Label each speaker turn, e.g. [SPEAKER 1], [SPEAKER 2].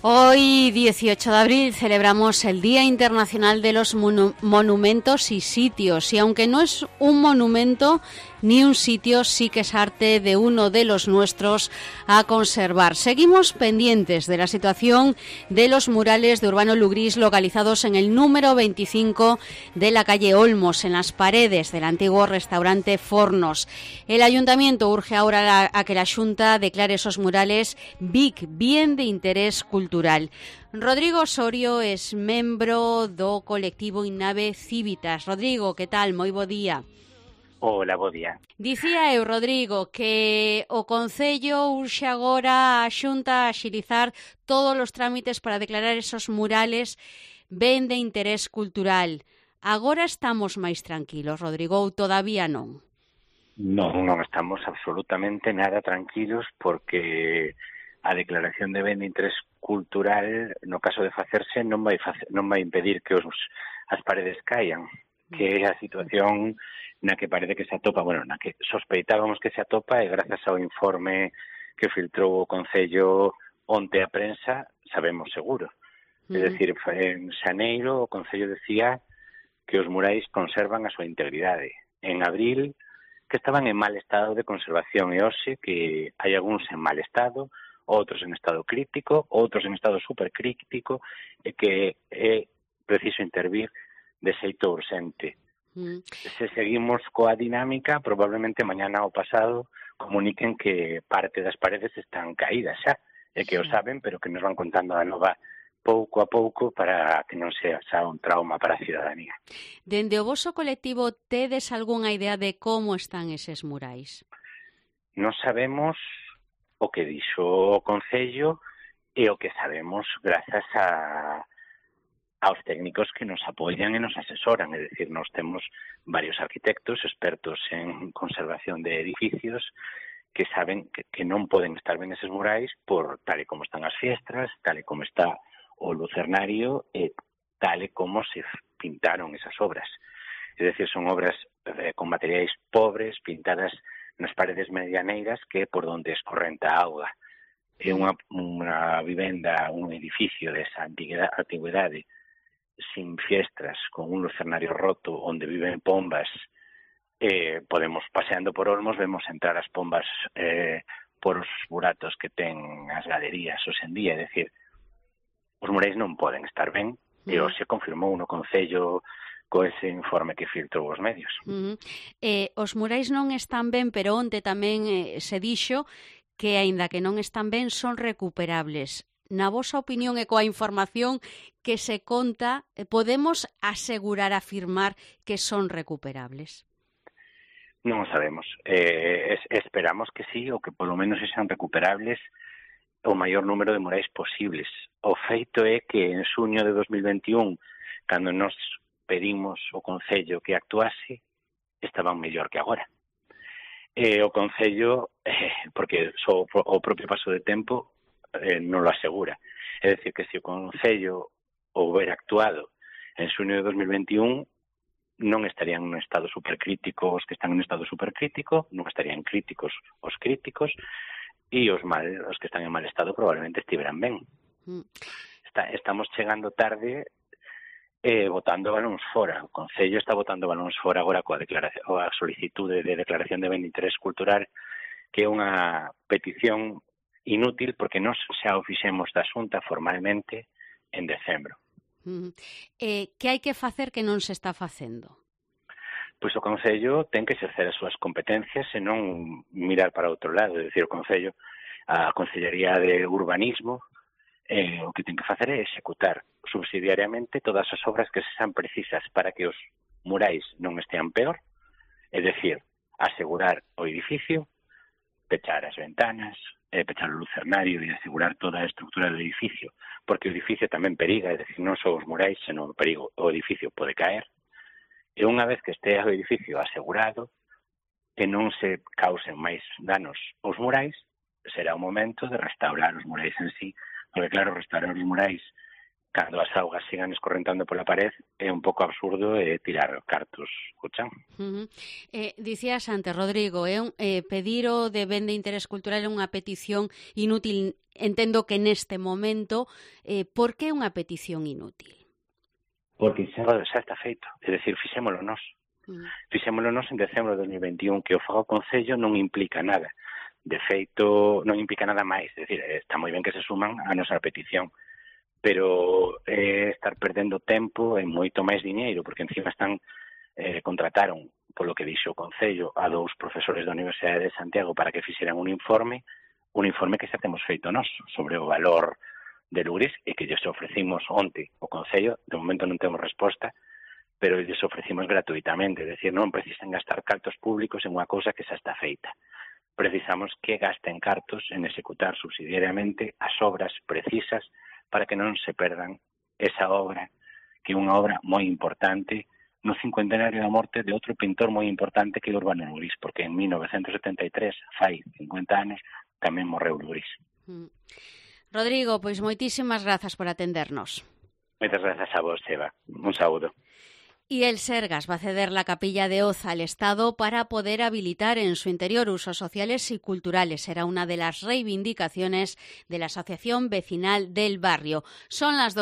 [SPEAKER 1] Hoy, 18 de abril, celebramos el Día Internacional de los Monumentos y Sitios. Y aunque no es un monumento ni un sitio, sí que es arte de uno de los nuestros a conservar. Seguimos pendientes de la situación de los murales de Urbano Lugrís localizados en el número 25 de la calle Olmos, en las paredes del antiguo restaurante Fornos. El Ayuntamiento urge ahora a que la Xunta declare esos murales BIC, bien de interés cultural. Rodrigo Osorio es membro do colectivo Innave Cívitas. Rodrigo, que tal? Moi bo día.
[SPEAKER 2] Hola, bo día.
[SPEAKER 1] Dicía eu, Rodrigo, que o Concello urxe agora a Xunta a axilizar todos os trámites para declarar esos murales ben de interés cultural. Agora estamos máis tranquilos, Rodrigo, ou todavía non?
[SPEAKER 2] Non estamos absolutamente nada tranquilos porque a declaración de ben de interés cultural, no caso de facerse, non vai impedir que as paredes caian, que é a situación na que parece que se atopa, na que sospeitábamos que se atopa, e grazas ao informe que filtrou o Concello onte a prensa, sabemos seguro. É dicir, en xaneiro o Concello decía que os murais conservan a súa integridade. En abril, que estaban en mal estado de conservación, e hoxe que hai algúns en mal estado, outros en estado crítico, outros en estado supercrítico, e que é preciso intervir de xeito urxente. Se seguimos coa dinámica, probablemente mañana ou pasado comuniquen que parte das paredes están caídas xa, e que o saben, pero que nos van contando a nova pouco a pouco para que non sea xa un trauma para a cidadanía.
[SPEAKER 1] Dende o voso colectivo, tedes algunha idea de como están eses murais?
[SPEAKER 2] Non sabemos o que dixo o Concello e o que sabemos grazas aos técnicos que nos apoian e nos asesoran. É dicir, nós temos varios arquitectos expertos en conservación de edificios que saben que non poden estar ben eses murais por tal e como están as fiestras, tal e como está o lucernario e tal e como se pintaron esas obras. É dicir, son obras con materiais pobres, pintadas nas paredes medianeiras, que é por onde escorrenta a auga. É unha vivenda, un edificio desa antigüedade, sin fiestras, con un lucernario roto, onde viven pombas. Podemos, paseando por Olmos, vemos entrar as pombas por os buratos que ten as galerías hoxe en día. É dicir, os murais non poden estar ben, e hoxe confirmou no Concello co ese informe que filtrou os medios.
[SPEAKER 1] Os murais non están ben, pero onte tamén se dixo que, aínda que non están ben, son recuperables. Na vosa opinión e coa información que se conta, podemos asegurar, afirmar que son recuperables?
[SPEAKER 2] Non o sabemos. Esperamos que sí, ou que polo menos sexan recuperables o maior número de murais posibles. O feito é que en xuño de 2021, cando nos pedimos o Concello que actuase, estaban mellor que agora. O Concello, porque só o propio paso de tempo non lo asegura. É dicir, que se o Concello houbera actuado en xuño de 2021, non estarían en estado supercrítico os que están en estado supercrítico, non estarían críticos os críticos, e os que están en mal estado probablemente estiveran ben. Estamos chegando tarde botando balóns fora. O Concello está botando balóns fora agora coa solicitude de declaración de ben de interés cultural, que é unha petición inútil porque nós xa o fixemos da Xunta formalmente en decembro.
[SPEAKER 1] Que hai que facer que non se está facendo?
[SPEAKER 2] Pois o Concello ten que exercer as súas competencias e non mirar para outro lado. É dicir, o Concello, a Consellería de Urbanismo, o que ten que facer é executar subsidiariamente todas as obras que sexan precisas para que os murais non estean peor, é dicir, asegurar o edificio, pechar as ventanas, pechar o lucernario e asegurar toda a estructura do edificio, porque o edificio tamén periga, é dicir, non só os murais, senón o edificio pode caer, e unha vez que este o edificio asegurado e non se causen máis danos aos murais, será o momento de restaurar os murais en sí, porque claro, restaurar os murais cando as augas sigan escorrentando pola pared, é un pouco absurdo tirar cartos o chan.
[SPEAKER 1] Dicías antes, Rodrigo, pedir o de ben de interés cultural é unha petición inútil. Entendo que neste momento, por que é unha petición inútil?
[SPEAKER 2] Porque xa está feito, é dicir, fixémolo nós. Fixémolo nós en decembro de 2021, que o faga o Concello non implica nada. De feito, non implica nada máis, é dicir, está moi ben que se suman a nosa petición, pero estar perdendo tempo e moito máis diñeiro, porque encima contrataron, polo que dixo o Concello, a 2 profesores da Universidade de Santiago para que fixeran un informe que xa temos feito nós sobre o valor de Lugris e que lles ofrecimos onte o Concello. De momento non temos resposta, pero lles ofrecimos gratuitamente, é dicir, non precisan gastar cartos públicos en unha cousa que xa está feita. Precisamos que gasten cartos en executar subsidiariamente as obras precisas para que non se perdan esa obra, que é unha obra moi importante no cincuentenario da morte de outro pintor moi importante que é Urbano Lugris, porque en 1973, fai 50 anos, tamén morreu Lugris.
[SPEAKER 1] Rodrigo, pois moitísimas grazas por atendernos.
[SPEAKER 2] Moitas grazas a vos, Eva. Un saúdo.
[SPEAKER 1] Y el Sergas va a ceder la capilla de Oza al Estado para poder habilitar en su interior usos sociales y culturales. Será una de las reivindicaciones de la Asociación Vecinal del Barrio. Son las